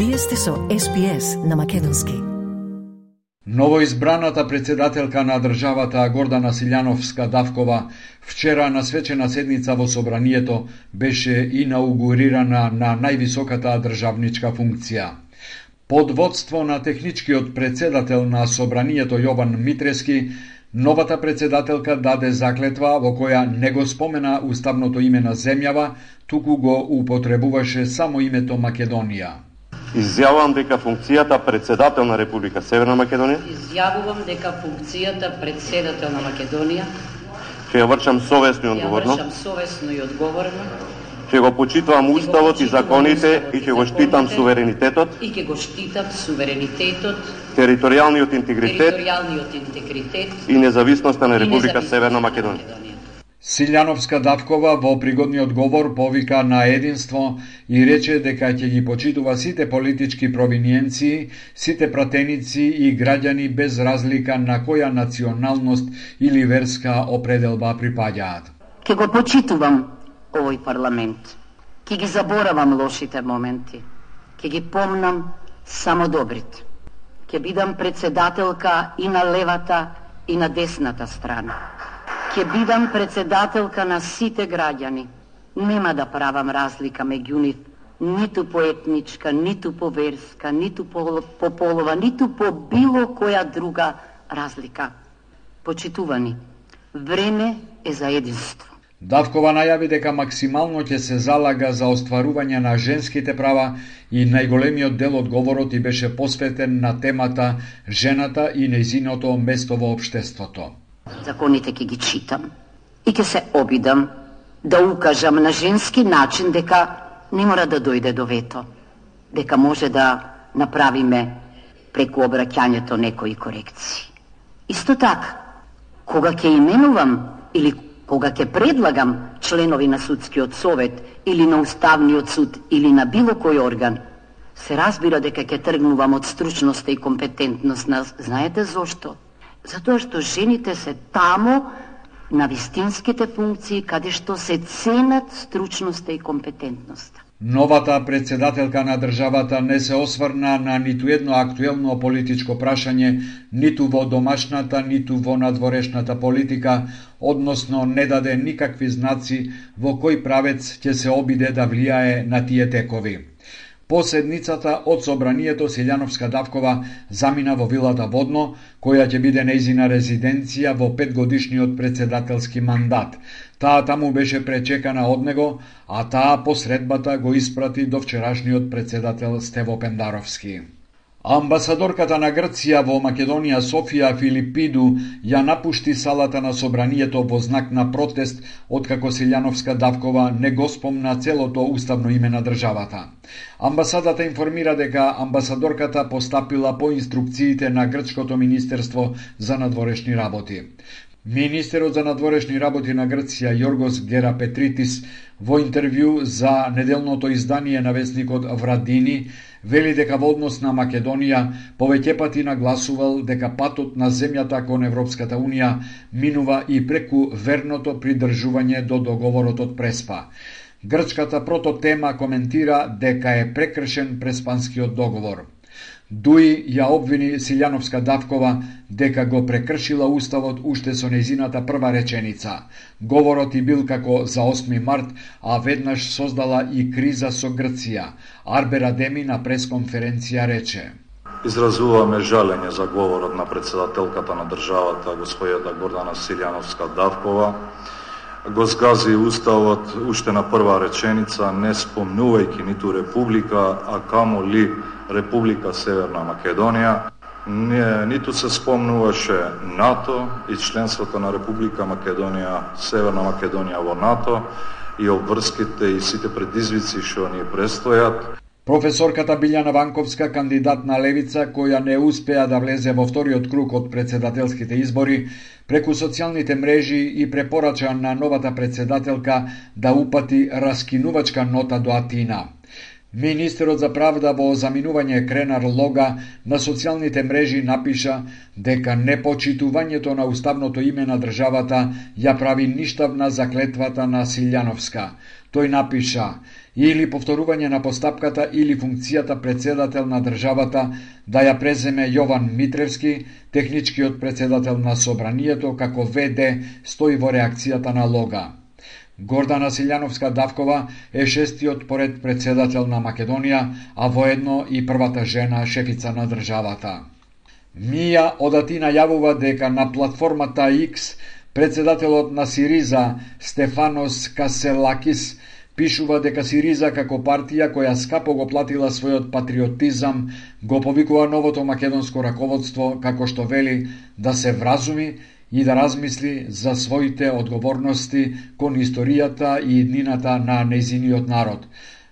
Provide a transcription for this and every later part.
Вие сте со SPS на македонски. Новоизбраната председателка на државата Гордана Силјановска-Давкова вчера на свечена седница во Собранието беше инаугурирана на највисоката државничка функција. Под водство на техничкиот председател на Собранието Јован Митрески, новата председателка даде заклетва во која не го спомена уставното име на земјава, туку го употребуваше само името Македонија. Изјавувам дека функцијата председател на Република Северна Македонија. Изјавувам дека функцијата председател на Македонија. Ќе ја вршам совесно и одговорно. Ќе го почитувам уставот и законите и ќе го штитам суверенитетот. Територијалниот интегритет и независноста на Република Северна Македонија. Силјановска-Давкова во пригодниот говор повика на единство и рече дека ќе ги почитува сите политички провиниенции, сите пратеници и граѓани без разлика на која националност или верска определба припаѓаат. Ќе го почитувам овој парламент. Ќе ги заборавам лошите моменти. Ќе ги помнам само добрите. Ќе бидам председателка и на левата и на десната страна. Ќе бидам председателка на сите граѓани. Нема да правам разлика меѓу нив, ниту по етничка, ниту по верска, ниту по полова, ниту по било која друга разлика. Почитувани, време е за единство. Давкова најави дека максимално ќе се залага за остварување на женските права и најголемиот дел од говорот и беше посветен на темата жената и нејзиното место во општеството. Законите ќе ги читам и ќе се обидам да укажам на женски начин дека не мора да дојде до вето, дека може да направиме преку обраќањето некои корекции. Исто така, кога ќе именувам или кога ќе предлагам членови на судскиот совет или на уставниот суд или на било кој орган, се разбира дека ќе тргнувам од стручноста и компетентност на... Знаете зошто? Затоа што жените се тамо на вистинските функции каде што се ценат стручноста и компетентноста. Новата председателка на државата не се осврна на ниту едно актуелно политичко прашање, ниту во домашната, ниту во надворешната политика, односно не даде никакви знаци во кој правец ќе се обиде да влијае на тие текови. По седницата од Собранието Силјановска-Давкова замина во вилата Водно, која ќе биде нејзина резиденција во 5-годишниот председателски мандат. Таа таму беше пречекана од него, а таа по средбата го испрати до вчерашниот председател Стево Пендаровски. Амбасадорката на Грција во Македонија Софија Филипиду ја напушти салата на Собранието во знак на протест откако Силјановска-Давкова не го спомна целото уставно име на државата. Амбасадата информира дека амбасадорката постапила по инструкциите на Грчкото министерство за надворешни работи. Министерот за надворешни работи на Грција Јоргос Герапетритис во интервју за неделното издание на весникот Врадини вели дека во однос на Македонија повеќе пати нагласувал дека патот на земјата кон Европската Унија минува и преку верното придржување до договорот од Преспа. Грчката прототема коментира дека е прекршен Преспанскиот договор. Дуи ја обвини Силјановска-Давкова дека го прекршила уставот уште со нејзината прва реченица. Говорот и бил како за 8 март, а веднаш создала и криза со Грција. Арбер Адеми на пресконференција рече: Изразуваме жалење за говорот на председателката на државата, господјата Гордана Силјановска-Давкова. Го згази уставот уште на прва реченица, не спомнувајќи ниту Република, а камоли Република Северна Македонија. Ниту се спомнуваше НАТО и членството на Република Македонија, Северна Македонија во НАТО и обврските и сите предизвици што ни престојат. Професорката Билјана Ванковска, кандидат на Левица, која не успеа да влезе во вториот круг од председателските избори, преку социјалните мрежи и препорача на новата председателка да упати раскинувачка нота до Атина. Министерот за правда во заминување Кренар Лога на социјалните мрежи напиша дека непочитувањето на уставното име на државата ја прави ништавна заклетвата на Силјановска. Тој напиша: или повторување на постапката или функцијата председател на државата да ја преземе Јован Митревски, техничкиот председател на Собранието, како ВД стои во реакцијата на Лога. Гордана Силјановска-Давкова е шестиот поред председател на Македонија, а воедно и првата жена шефица на државата. Мија Одати најавува дека на платформата X председателот на Сириза Стефанос Каселакис пишува дека Сириза како партија која скапо го платила својот патриотизам го повикува новото македонско раководство, како што вели, да се вразуми и да размисли за своите одговорности кон историјата и иднината на нејзиниот народ.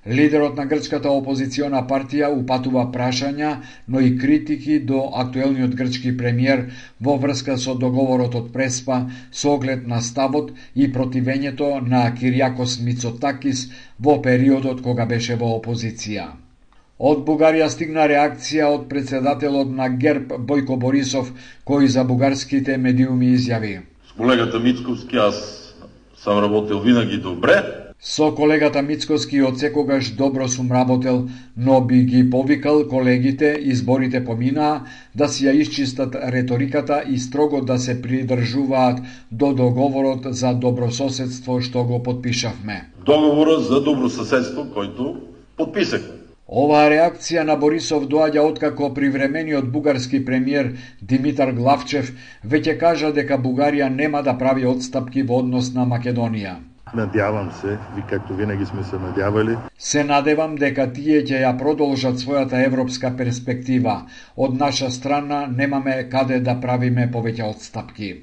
Лидерот на грчката опозициона партија упатува прашања, но и критики до актуелниот грчки премиер во врска со договорот од Преспа со оглед на ставот и противењето на Кириакос Мицотакис во периодот кога беше во опозиција. Од Бугарија стигна реакција од председателот на ГЕРБ Бојко Борисов, кој за бугарските медиуми изјави: С колегата Мицковски аз сам работел винаги добре. Со колегата Мицковски од секогаш добро сум работел, но би ги повикал колегите, изборите поминаа, да си ја исчистат реториката и строго да се придржуваат до договорот за добрососедство што го подпишавме. Договорот за добрососедство којто подписахме. Оваа реакција на Борисов доаѓа откако привремениот бугарски премиер Димитар Главчев веќе кажа дека Бугарија нема да прави отстапки во однос на Македонија. Надявам се, ви както винаги сме се надявали. Се надевам дека тие ќе ја продолжат својата европска перспектива. Од наша страна немаме каде да правиме повеќе отстапки.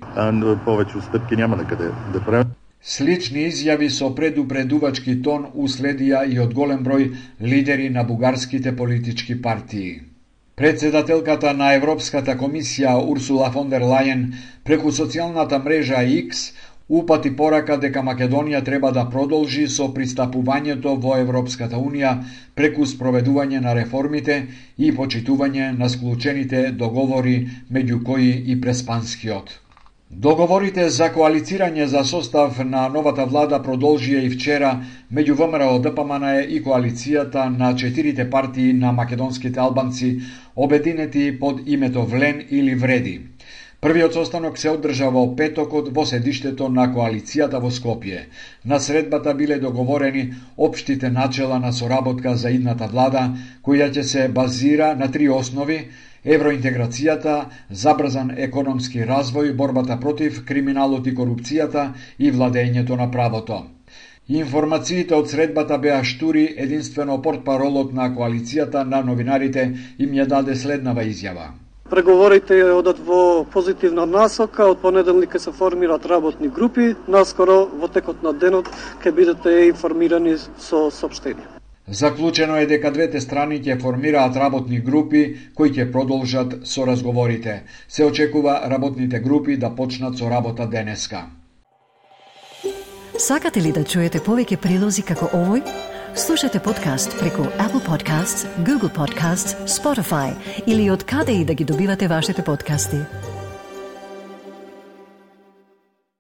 Повеќе отстапки нема на каде да правиме. Слични изјави со предупредувачки тон уследија и од голем број лидери на бугарските политички партии. Председателката на Европската комисија Урсула фон дер Лајен преку социјалната мрежа X упати порака дека Македонија треба да продолжи со пристапувањето во Европската Унија преку спроведување на реформите и почитување на склучените договори, меѓу кои и преспанскиот. Договорите за коалицирање за состав на новата влада продолжија и вчера меѓу ВМРО, ДПМН и коалицијата на 4 партии на македонските албанци, обединети под името Влен или Вреди. Првиот состанок се одржа во петокот во седиштето на коалицијата во Скопје. На средбата биле договорени општите начела на соработка за идната влада, која ќе се базира на 3 основи: евроинтеграцијата, забрзан економски развој, борбата против криминалот и корупцијата и владењето на правото. Информациите од средбата беа штури, единствено портпаролот на коалицијата на новинарите им ја даде следнава изјава. Преговорите одат во позитивна насока, од понеделник ќе се формираат работни групи, наскоро во текот на денот ќе бидете информирани со сопштение. Заклучено е дека двете страни ќе формираат работни групи кои ќе продолжат со разговорите. Се очекува работните групи да почнат со работа денеска. Сакате ли да чуете повеќе прилози како овој? Слушате подкаст преку Apple Podcasts, Google Podcasts, Spotify или од каде и да ги добивате вашите подкасти.